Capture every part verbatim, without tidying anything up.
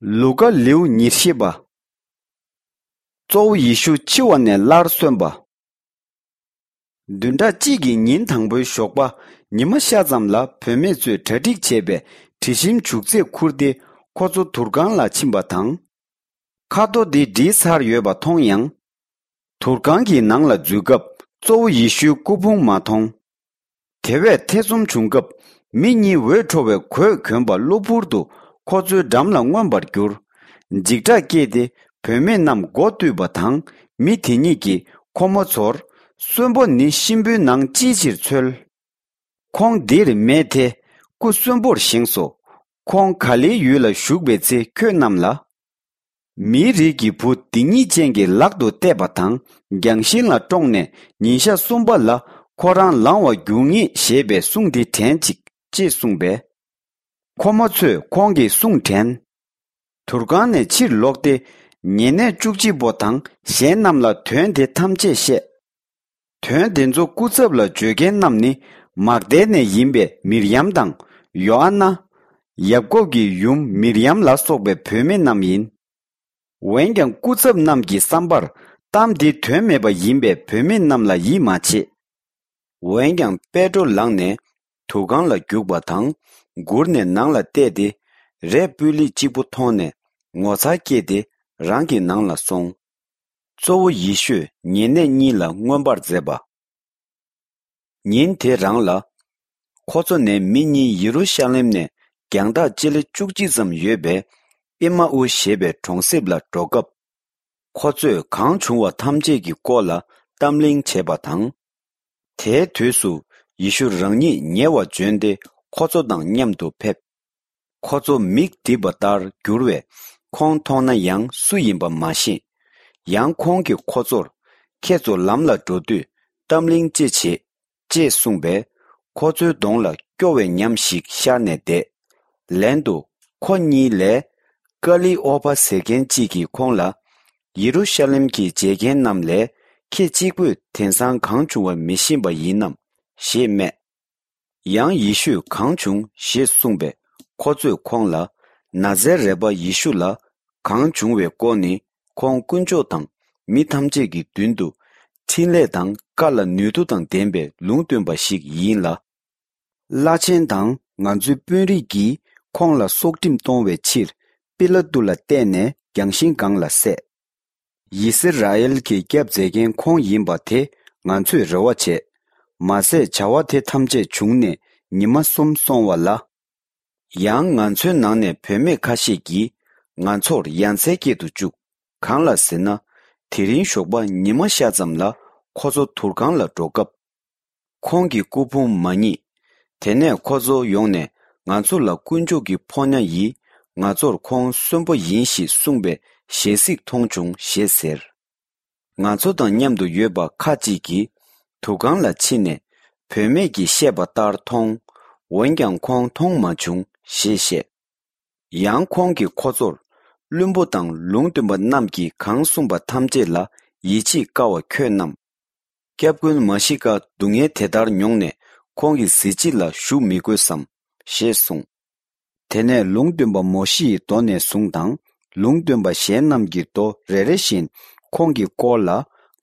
ལུ་ཀ། ལེའུ་ཉེར་བཞི་པ། གཙོ་བོ་ཡེ་ཤུ་འཆི་བ་ནས་སླར་གསོན་པ། བདུན་ཕྲག་གཅིག་གི་ཉིན་དང་པོའི་ཞོགས་པ། ཉི་མ་ཤར་ཙམ་ལ་བུད་མེད་ཚོས་གྲ་སྒྲིག་བྱས་པའི་དྲི་ཞིམ་བྱུག་རྫས་ཁུར་ཏེ་ཁོ་ཚོ་དུར་ཁང་ལ་ཕྱིན་པ་དང་། ཁ་རྡོ་དེ་བསྒྲིལ་ཚར་ཡོད་པ་མཐོང་ཡང་། དུར་ཁང་གི་ནང་ལ་འཛུལ་སྐབས་གཙོ་བོ་ཡེ་ཤུའི་སྐུ་ཕུང་མ་མཐོང་། དེ་བས་ཐེ་ཚོམ་བྱུང་སྐབས། མི་གཉིས་འོད་འཕྲོ་བའི་གོས་གྱོན་པ་གློ་བུར་དུ་ཁོ་ཚོའི་འགྲམ་ལ་མངོན་པར་གྱུར། འཇིགས་སྐྲག་སྐྱེས་ཏེ། བུད་མེད་རྣམས་མགོ་བཏུད་པ་དང་། མི་དེ་གཉིས་ཀྱིས་ཁོ་མོ་ཚོར། གསོན་པོ་ནི་གཤིན་པོའི་ནང་ཅིའི་ཕྱིར་འཚོལ། ཁོང་འདིར་མེད་དེ། སྐུ་གསོན་པོར་བཞེངས་སོ། ཁོང་ག་ལེའི་ཡུལ་ལ་བཞུགས་པའི་ཚེ་ཁྱོད་རྣམས་ལ། མིའི་རིགས་ཀྱི་བུ་སྡིག་ཉེས་ཅན་གྱི་ལག་ཏུ་གཏད་པ་དང་། རྒྱང་ཤིང་ལ་བཀྲོངས་ནས་ཉིན་ཞག་གསུམ་པ་ལ་ཁོ་རང་ལང་བར་འགྱུར་ངེས་ཞེས་པའི་གསུང་འདི་དྲན་ཅིག་ཅེས་གསུངས་པས། ཁོ་མོ་ཚོས་ཁོང་གི་གསུང་དྲན། དུར་ཁང་ནས་ཕྱིར་ལོག་སྟེ། ཉེ་གནས་བཅུ་གཅིག་པོ་དང་གཞན་རྣམས་ལ་དོན་དེ་ཐམས་ཅད་བཤད། དོན་དེ་ཚོ་སྐུ་ཚབ་ལ་བརྗོད་མཁན་རྣམས་ནི་མག་དལ་ནས་ཡིན་པའི་མིར་ཡམ་དང་ཡོ་ཨ་ན། ཡབ་ཀོབ་ཀྱི་ཡུམ་མིར་ཡམ་ལ་སོགས་པའི་བུད་མེད་རྣམས་ཡིན། འོན་ཀྱང་སྐུ་ཚབ་རྣམས་ཀྱི་བསམ་པར་གཏམ་འདི་དོན་མེད་པ་ཡིན་པས་བུད་མེད་རྣམས་ལ་ཡིད་མ་ཆེས། འོན་ཀྱང་པེ་ཏྲོ་ལངས་ནས་དུར་ཁང་ལ་རྒྱུགས་པ་དང་། མགུར་ནས་ནང་ལ་བལྟས་ཏེ། རས་སྤུས་ལེགས་གཅིག་པུ་མཐོང་ནས་ངོ་མཚར་སྐྱེས་ཏེ་རང་གི་ནང་ལ་སོང་། གཙོ་བོ་ཡེ་ཤུས་ཉེ་གནས་གཉིས་ལ་མངོན་པར་མཛད་པ། ཉིན་དེ་རང་ལ། ཁོ་ཚོ་ནས་མི་གཉིས་ཡེ་རུ་ཤ་ལེམ་ནས་རྒྱང་ཐག་སྤྱི་ལེ་བཅུ་གཅིག་ཙམ་ཡོད་པའི་ཨེ་མ་ཨུ་ཞེས་པའི་གྲོང་གསེབ་ལ་འགྲོ་སྐབས། ཁོ་ཚོས་གང་བྱུང་བ་ཐམས་ཅད་ཀྱི་སྐོར་ལ་གཏམ་གླེང་བྱས་པ་དང་། དེའི་དུས་སུ་ཡེ་ཤུ་རང་ཉིད་ཉེ་བར་བྱོན་ཏེ་ཁོ་ཚོ་དང་མཉམ་དུ་ཕེབས། ཁོ་ཚོ་མིག་བསྒྲིབས་པ་ལྟར་གྱུར་བས་ཁོང་མཐོང་ན་ཡང་སུ་ཡིན་པ་མ་ཤེས། ཡང་ཁོང་གིས་ཁོ་ཚོར། ཁྱེད་ཚོ་ལམ་ལ་འགྲོ་དུས་གཏམ་གླེང་ཅི་བྱེད། ཅེས་གསུངས་པས། ཁོ་ཚོའི་གདོང་ལ་སྐྱོ་བའི་ཉམས་ཤིག་ཤར་ནས་བསྡད། ལན་དུ། ཁོ་གཉིས་ལས། ཀ་ལི་ཨོ་པ་ཟེར་མཁན་གཅིག་གིས་ཁོང་ལ། ཡེ་རུ་ཤ་ལེམ་གྱི་མཇལ་མཁན་རྣམས་ལས་ཁྱེད་གཅིག་པུས་དེང་སང་གང་བྱུང་བ་མི་ཤེས་པ་ཡིན་ནམ། ཞེས་སྨྲས། ཡང་ཡེ་ཤུས་གང་བྱུང་ཞེས་གསུངས་པས་ཁོ་ཚོས་ཁོང་ལ། ན་ཛེ་རད་པ་ཡེ་ཤུ་ལ་གང་བྱུང་བའི་སྐོར་ནི་ཁོང་དཀོན་མཆོག་དང་མི་ཐམས་ཅད་ཀྱི་མདུན་དུ་འཕྲིན་ལས་དང་བཀའ་ལ་ནུས་མཐུ་དང་ལྡན་པའི་ལུང་སྟོན་པ་ཞིག་ཡིན་ལ། བླ་ཆེན་དང་ང་ཚོའི་དཔོན་རིགས་ཀྱིས་ཁོང་ལ་སྲོག་ཁྲིམས་གཏོང་བའི་ཕྱིར་པི་ལ་ཏུ་ལ་གཏད་ནས་རྒྱང་ཤིང་སྒང་ལ་བསད། ཡི་སི་ར་ཨེལ་གྱི་སྐྱབས་མཛད་མཁན་ཁོང་ཡིན་པ་དེ་ང་ཚོས་རེ་བ་བྱས། མ་ཟད་བྱ་བ་དེ་ཐམས་ཅད་བྱུང་ནས་ཉི་མ་གསུམ་སོང་བ་ལ། ཡང་ང་ཚོའི་ནང་ནས་བུད་མེད་ཁ་ཤས་ཀྱིས་ང་ཚོར་ཡ་མཚན་སྐྱེད་དུ་བཅུག་གང་ལ་ཟེར་ན། དེ་རིང་ཞོགས་པ་ཉི་མ་ཤར་ཙམ་ལ་ཁོ་ཚོ་དུར་ཁང་ལ་འགྲོ་སྐབས། ཁོང་གི་སྐུ་ཕུང་མ་རྙེད། དེ་ནས་ཁོ་ཚོ་ཡོང་ནས་ང་ཚོ་ལ་དཀོན་མཆོག་གི་ཕོ་ཉ་ཡིས་ང་ཚོར་ཁོང་གསོན་པོ་ཡིན་ཞེས་གསུངས་པའི་ཞལ་གཟིགས་མཐོང་བྱུང་ཞེས་ཟེར། ང་ཚོ་དང་མཉམ་དུ་ཡོད་པ་ཁ་ཅིག་གིས་དུར་ཁང་ལ་ཕྱིན་ནས་བུད་མེད་ཀྱིས་བཤད་པ་ལྟར་མཐོང་། འོན་ཀྱང་ཁོང་མཐོང་མ་བྱུང་ཞེས་བཤད། ཡང་ཁོང་གིས་ཁོ་ཚོར། བླུན་པོ་དང་ལུང་སྟོན་པ་རྣམས་ཀྱིས་གང་གསུངས་པ་ཐམས་ཅད་ལ་ཡིད་ཆེས་དཀའ་བ་ཁྱོད་རྣམས། སྐྱབས་མགོན་མཱ་ཤི་ཀ་སྡུག་བསྔལ་དེ་ལྟར་མྱོང་ནས་ཁོང་གི་གཟི་བརྗིད་ལ་ཞུགས་མི་དགོས་སམ། ཞེས་གསུངས། དེ་ནས་ལུང་སྟོན་པ་མོ་ཤེ་ཡི་མདོ་ནས་བཟུང་དང་ལུང་སྟོན་པ་གཞན་རྣམས་ཀྱི་མདོ་རེ་རེ་བཞིན་ཁོང་གི་སྐོར་ལ་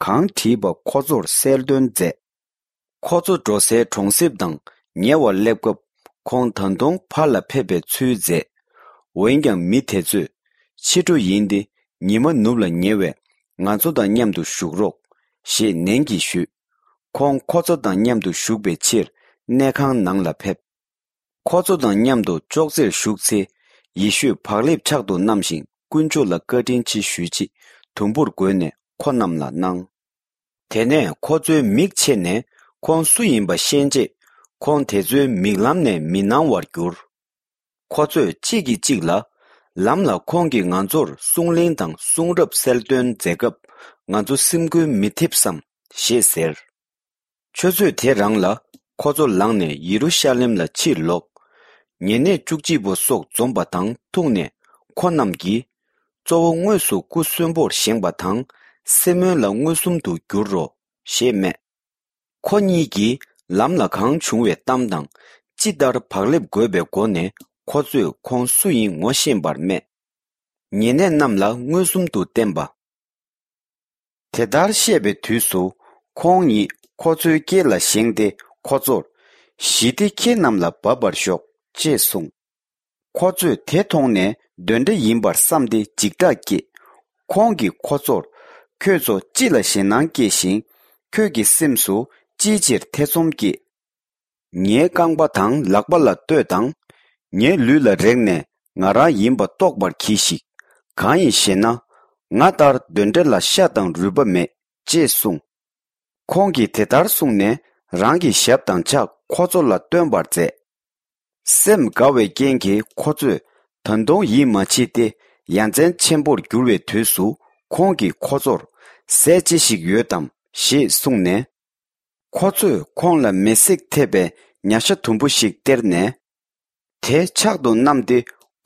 གང་བྲིས་པ་ཁོ་ཚོར་གསལ་སྟོན་མཛད། ཁོ་ཚོ་འགྲོ་སའི་གྲོང་གསེབ་དང་ཉེ་བར་སླེབས་སྐབས་ཁོང་ད་དུང་ཕར་ལ་ཕེབས་པའི་ཚུལ་མཛད། འོན་ཀྱང་མི་དེ་ཚོས་ཕྱི་དྲོ་ཡིན་ཏེ་ཉི་མ་ནུབ་ལ་ཉེ་བས་ང་ཚོ་དང་མཉམ་དུ་བཞུགས་རོགས་ཞེས་ནན་གྱིས་ཞུས། ཁོང་ཁོ་ཚོ་དང་མཉམ་དུ་བཞུགས་པའི་ཕྱིར་གནས་ཁང་ནང་ལ་ཕེབས། ཁོ་ཚོ་དང་མཉམ་དུ་ཅོག་ཙེར་བཞུགས་ཚེ། ཡེ་ཤུས་བག་ལེབ་ཕྱག་ཏུ་བསྣམས་ཤིང་དཀོན་མཆོག་ལ་བཀའ་དྲིན་ཆེ་ཞུས་རྗེས་དུམ་བུར་བགོས་ནས་ཁོ་རྣམས་ལ་གནང་། དེ་ནས་ཁོ་ཚོའི་མིག་ཕྱེ་ནས་ཁོང་སུ་ཡིན་པ་ཤེས་རྗེས་ཁོང་དེ་ཚོའི་མིག་ལམ་ནས་མི་སྣང་བར་གྱུར། ཁོ་ཚོས་གཅིག་གིས་གཅིག་ལ། ལམ་ལ་ཁོང་གིས་ང་ཚོར་གསུང་གླེང་དང་གསུང་རབ་གསལ་སྟོན་མཛད་སྐབས་ང་ཚོ་སེམས་འགུལ་མི་ཐེབས་སམ་ཞེས་ཟེར། ཆུ་ཚོད་དེ་རང་ལ་ཁོ་ཚོ་ལངས་ནས་ཡེ་རུ་ཤ་ལེམ་ལ་ཕྱིར་ལོག་ཉེ་གནས་བཅུ་གཅིག་པོ་སོགས་འཛོམས་པ་དང་ཐུག་ནས་ཁོ་རྣམས་ཀྱིས། གཙོ་བོ་དངོས་སུ་སྐུ་གསོན་པོར་བཞེངས་པ་དང་སེ་མོན་ལ་མངོན་སུམ་དུ་འགྱུར་རོ། ཞེས་སྨྲས། ཁོ་གཉིས་ཀྱིས་ལམ་ལ་གང་བྱུང་བའི་གཏམ་དང་ཅི་ལྟར་བག་ལེབ་བགོས་པའི་སྒོ་ནས་ཁོ་ཚོས་ཁོང་སུ་ཡིན་ངོ་ཤེས་པར་སྨྲས། ཉེ་གནས་རྣམས་ལ་མངོན་སུམ་དུ་བསྟན་པ། དེ་ལྟར་བཤད་པའི་དུས་སུ་ཁོང་ཉིད་ཁོ་ཚོའི་སྐེ་ལ་བཞེངས་ཏེ་ཁོ་ཚོར། ཞི་བདེ་ཁྱེད་རྣམས་ལ་བབས་པར་ཤོག་ཅེས་གསུངས། ཁོ་ཚོས་དེ་མཐོང་ནས་གདོན་འདྲེ་ཡིན་པར་བསམས་ཏེ་འཇིགས་སྐྲག་སྐྱེས། ཁོང་གིས་ཁོ་ཚོར། ཁྱོད་ཚོ་ཅི་ལ་ཞེད་སྣང་སྐྱེས་ཤིང་། ཁྱོད་ཀྱི་སེམས་སུ་ཅིའི་ཕྱིར་ཐེ་ཚོམ་སྐྱེས། ངའི་རྐང་པ་དང་ལག་པ་ལ་ལྟོས་དང་། ངའི་ལུས་ལ་རེག་ནས་ང་རང་ཡིན་པ་རྟོགས་པར་གྱིས་ཤིག་གང་ཡིན་ཞེ་ན། ང་ལྟར་གདོན་འདྲེ་ལ་ཤ་དང་རུས་པ་མེད་ཅེས་གསུངས། ཁོང་གིས་དེ་ལྟར་གསུངས་ནས་རང་གི་ཞབས་དང་ཕྱག་ཁོ་ཚོ་ལ་སྟོན་པར་མཛད། སེམས་དགའ་བའི་རྐྱེན་གྱིས་ཁོ་ཚོས་ད་དུང་ཡིད་མ་ཆེས་ཏེ་ཡ་མཚན་ཆེན་པོར་གྱུར་བའི་དུས་སུ་ཁོང་གིས་ཁོ་ཚོར་ཟས་ཅི་ཞིག་ཡོད་དམ་ཞེས་གསུངས་ནས། ཁོ་ཚོས་ཁོང་ལ་མེ་བསྲེགས་ཐེབས་པའི་ཉ་ཤ་དུམ་བུ་ཞིག་སྟེར་ནས། དེ་ཕྱག་ཏུ་བསྣམས་ཏེ་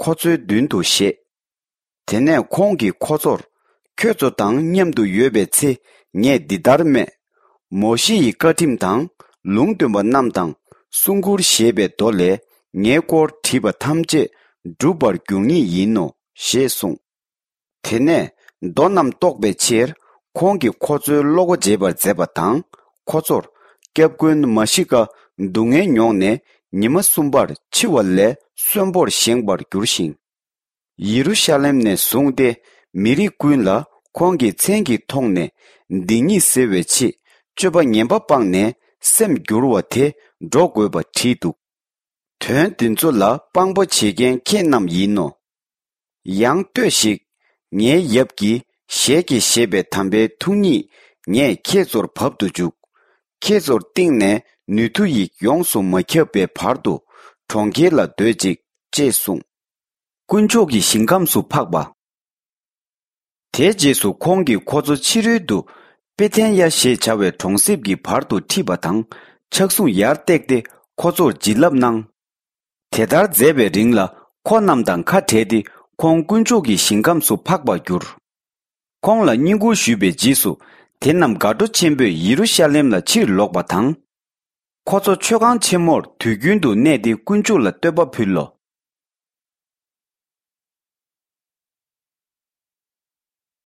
ཁོ་ཚོའི་མདུན་དུ་བཞེས། དེ་ནས་ཁོང་གིས་ཁོ་ཚོར། ཁྱོད་ཚོ་དང་མཉམ་དུ་ཡོད་པའི་ཚེ་ངས་འདི་ལྟར་སྨྲས། མོ་ཤེ་ཡི་བཀའ་ཁྲིམས་དང་ལུང་སྟོན་པ་རྣམས་དང་གསུང་མགུར་ཞེས་པའི་མདོ་ལས་ངའི་སྐོར་བྲིས་པ་ཐམས་ཅད་འགྲུབ་པར་འགྱུར་ངེས་ཡིན་ནོ་ཞེས་གསུངས། དེ་ནས་མདོ་རྣམས་རྟོགས་པའི་ཕྱིར་ཁོང་གིས་ཁོ་ཚོའི་བློ་སྒོ་འབྱེད་པར་མཛད་པ་དང་ཁོ་ཚོར། སྐྱབས་མགོན་མ་ཤི་ཀ་སྡུག་བསྔལ་མྱོང་ནས་ཉི་མ་གསུམ་པར་འཆི་བ་ལས་གསོན་པོར་བཞེངས་པར་འགྱུར་ཞིང་། ཡེ་རུ་ཤ་ལེམ་ནས་བཟུང་སྟེ་མི་རིགས་ཀུན་ལ་ཁོང་གི་མཚན་གྱི་ཐོག་ནས་སྡིག་ཉེས་སེལ་བའི་ཆེད་སྤྱོད་པ་ངན་པ་སྤངས་ནས་སེམས་བསྒྱུར་བ་དེ་འགྲོ་དགོས་པ་བྲིས་འདུག་དོན་འདི་ཚོ་ལ་དཔང་པོ་བྱེད་མཁན་ཁྱེད་རྣམས་ཡིན་ནོ། ཡང་ལྟོས་ཤིག་ངའི་ཡབ་ཀྱི་ཞལ་གྱིས་བཞེས་པའི་དམ་པའི་ཐུགས་ཉིད་ངས་ཁྱེད་ཚོར་བབ་ཏུ་འཇུག་ཁྱེད་ཚོར་སྟེང་ནས་ནུས་མཐུ་ཡིས་ཡོངས་སུ་མ་ཁྱབ་པའི་བར་དུ་གྲོང་ཁྱེར་ལ་སྡོད་ཅིག་ཅེས་གསུངས། དཀོན་མཆོག་གི་ཞིང་ཁམས་སུ་འཕགས་པ། དེའི་རྗེས་སུ་ཁོང་གིས་ཁོ་ཚོ་ཕྱི་རོལ་དུ་པེ་ཐན་ཡ་ཞེས་བྱ་བའི་གྲོང་གསེབ་ཀྱི་བར་དུ་ཁྲིད་པ་དང་ཕྱག་ཟུང་ཡར་བཏེགས་ཏེ་ཁོ་ཚོར་བྱིན་རླབས་གནང་། དེ་ལྟར་མཛད་པའི་རིང་ལ་ཁོ་རྣམས་དང་ཁ་བྲལ་ཏེ་ཁོང་དཀོན་མཆོག་གི་ཞིང་ཁམས་སུ་འཕགས་པར་གྱུར། ཁོང་ལ་བསྙེན་བཀུར་ཞུས་པའི་རྗེས་སུ་དེ་རྣམས་དགའ་སྤྲོ་ཆེན་པོས་ཡེ་རུ་ཤ་ལེམ་ལ་ཕྱིར་ལོག་པ་དང་། ཁོ་ཚོ་མཆོད་ཁང་ཆེན་མོར་དུས་རྒྱུན་དུ་གནས་ཏེ་དཀོན་མཆོག་ལ་བསྟོད་པ་ཕུལ་ལོ།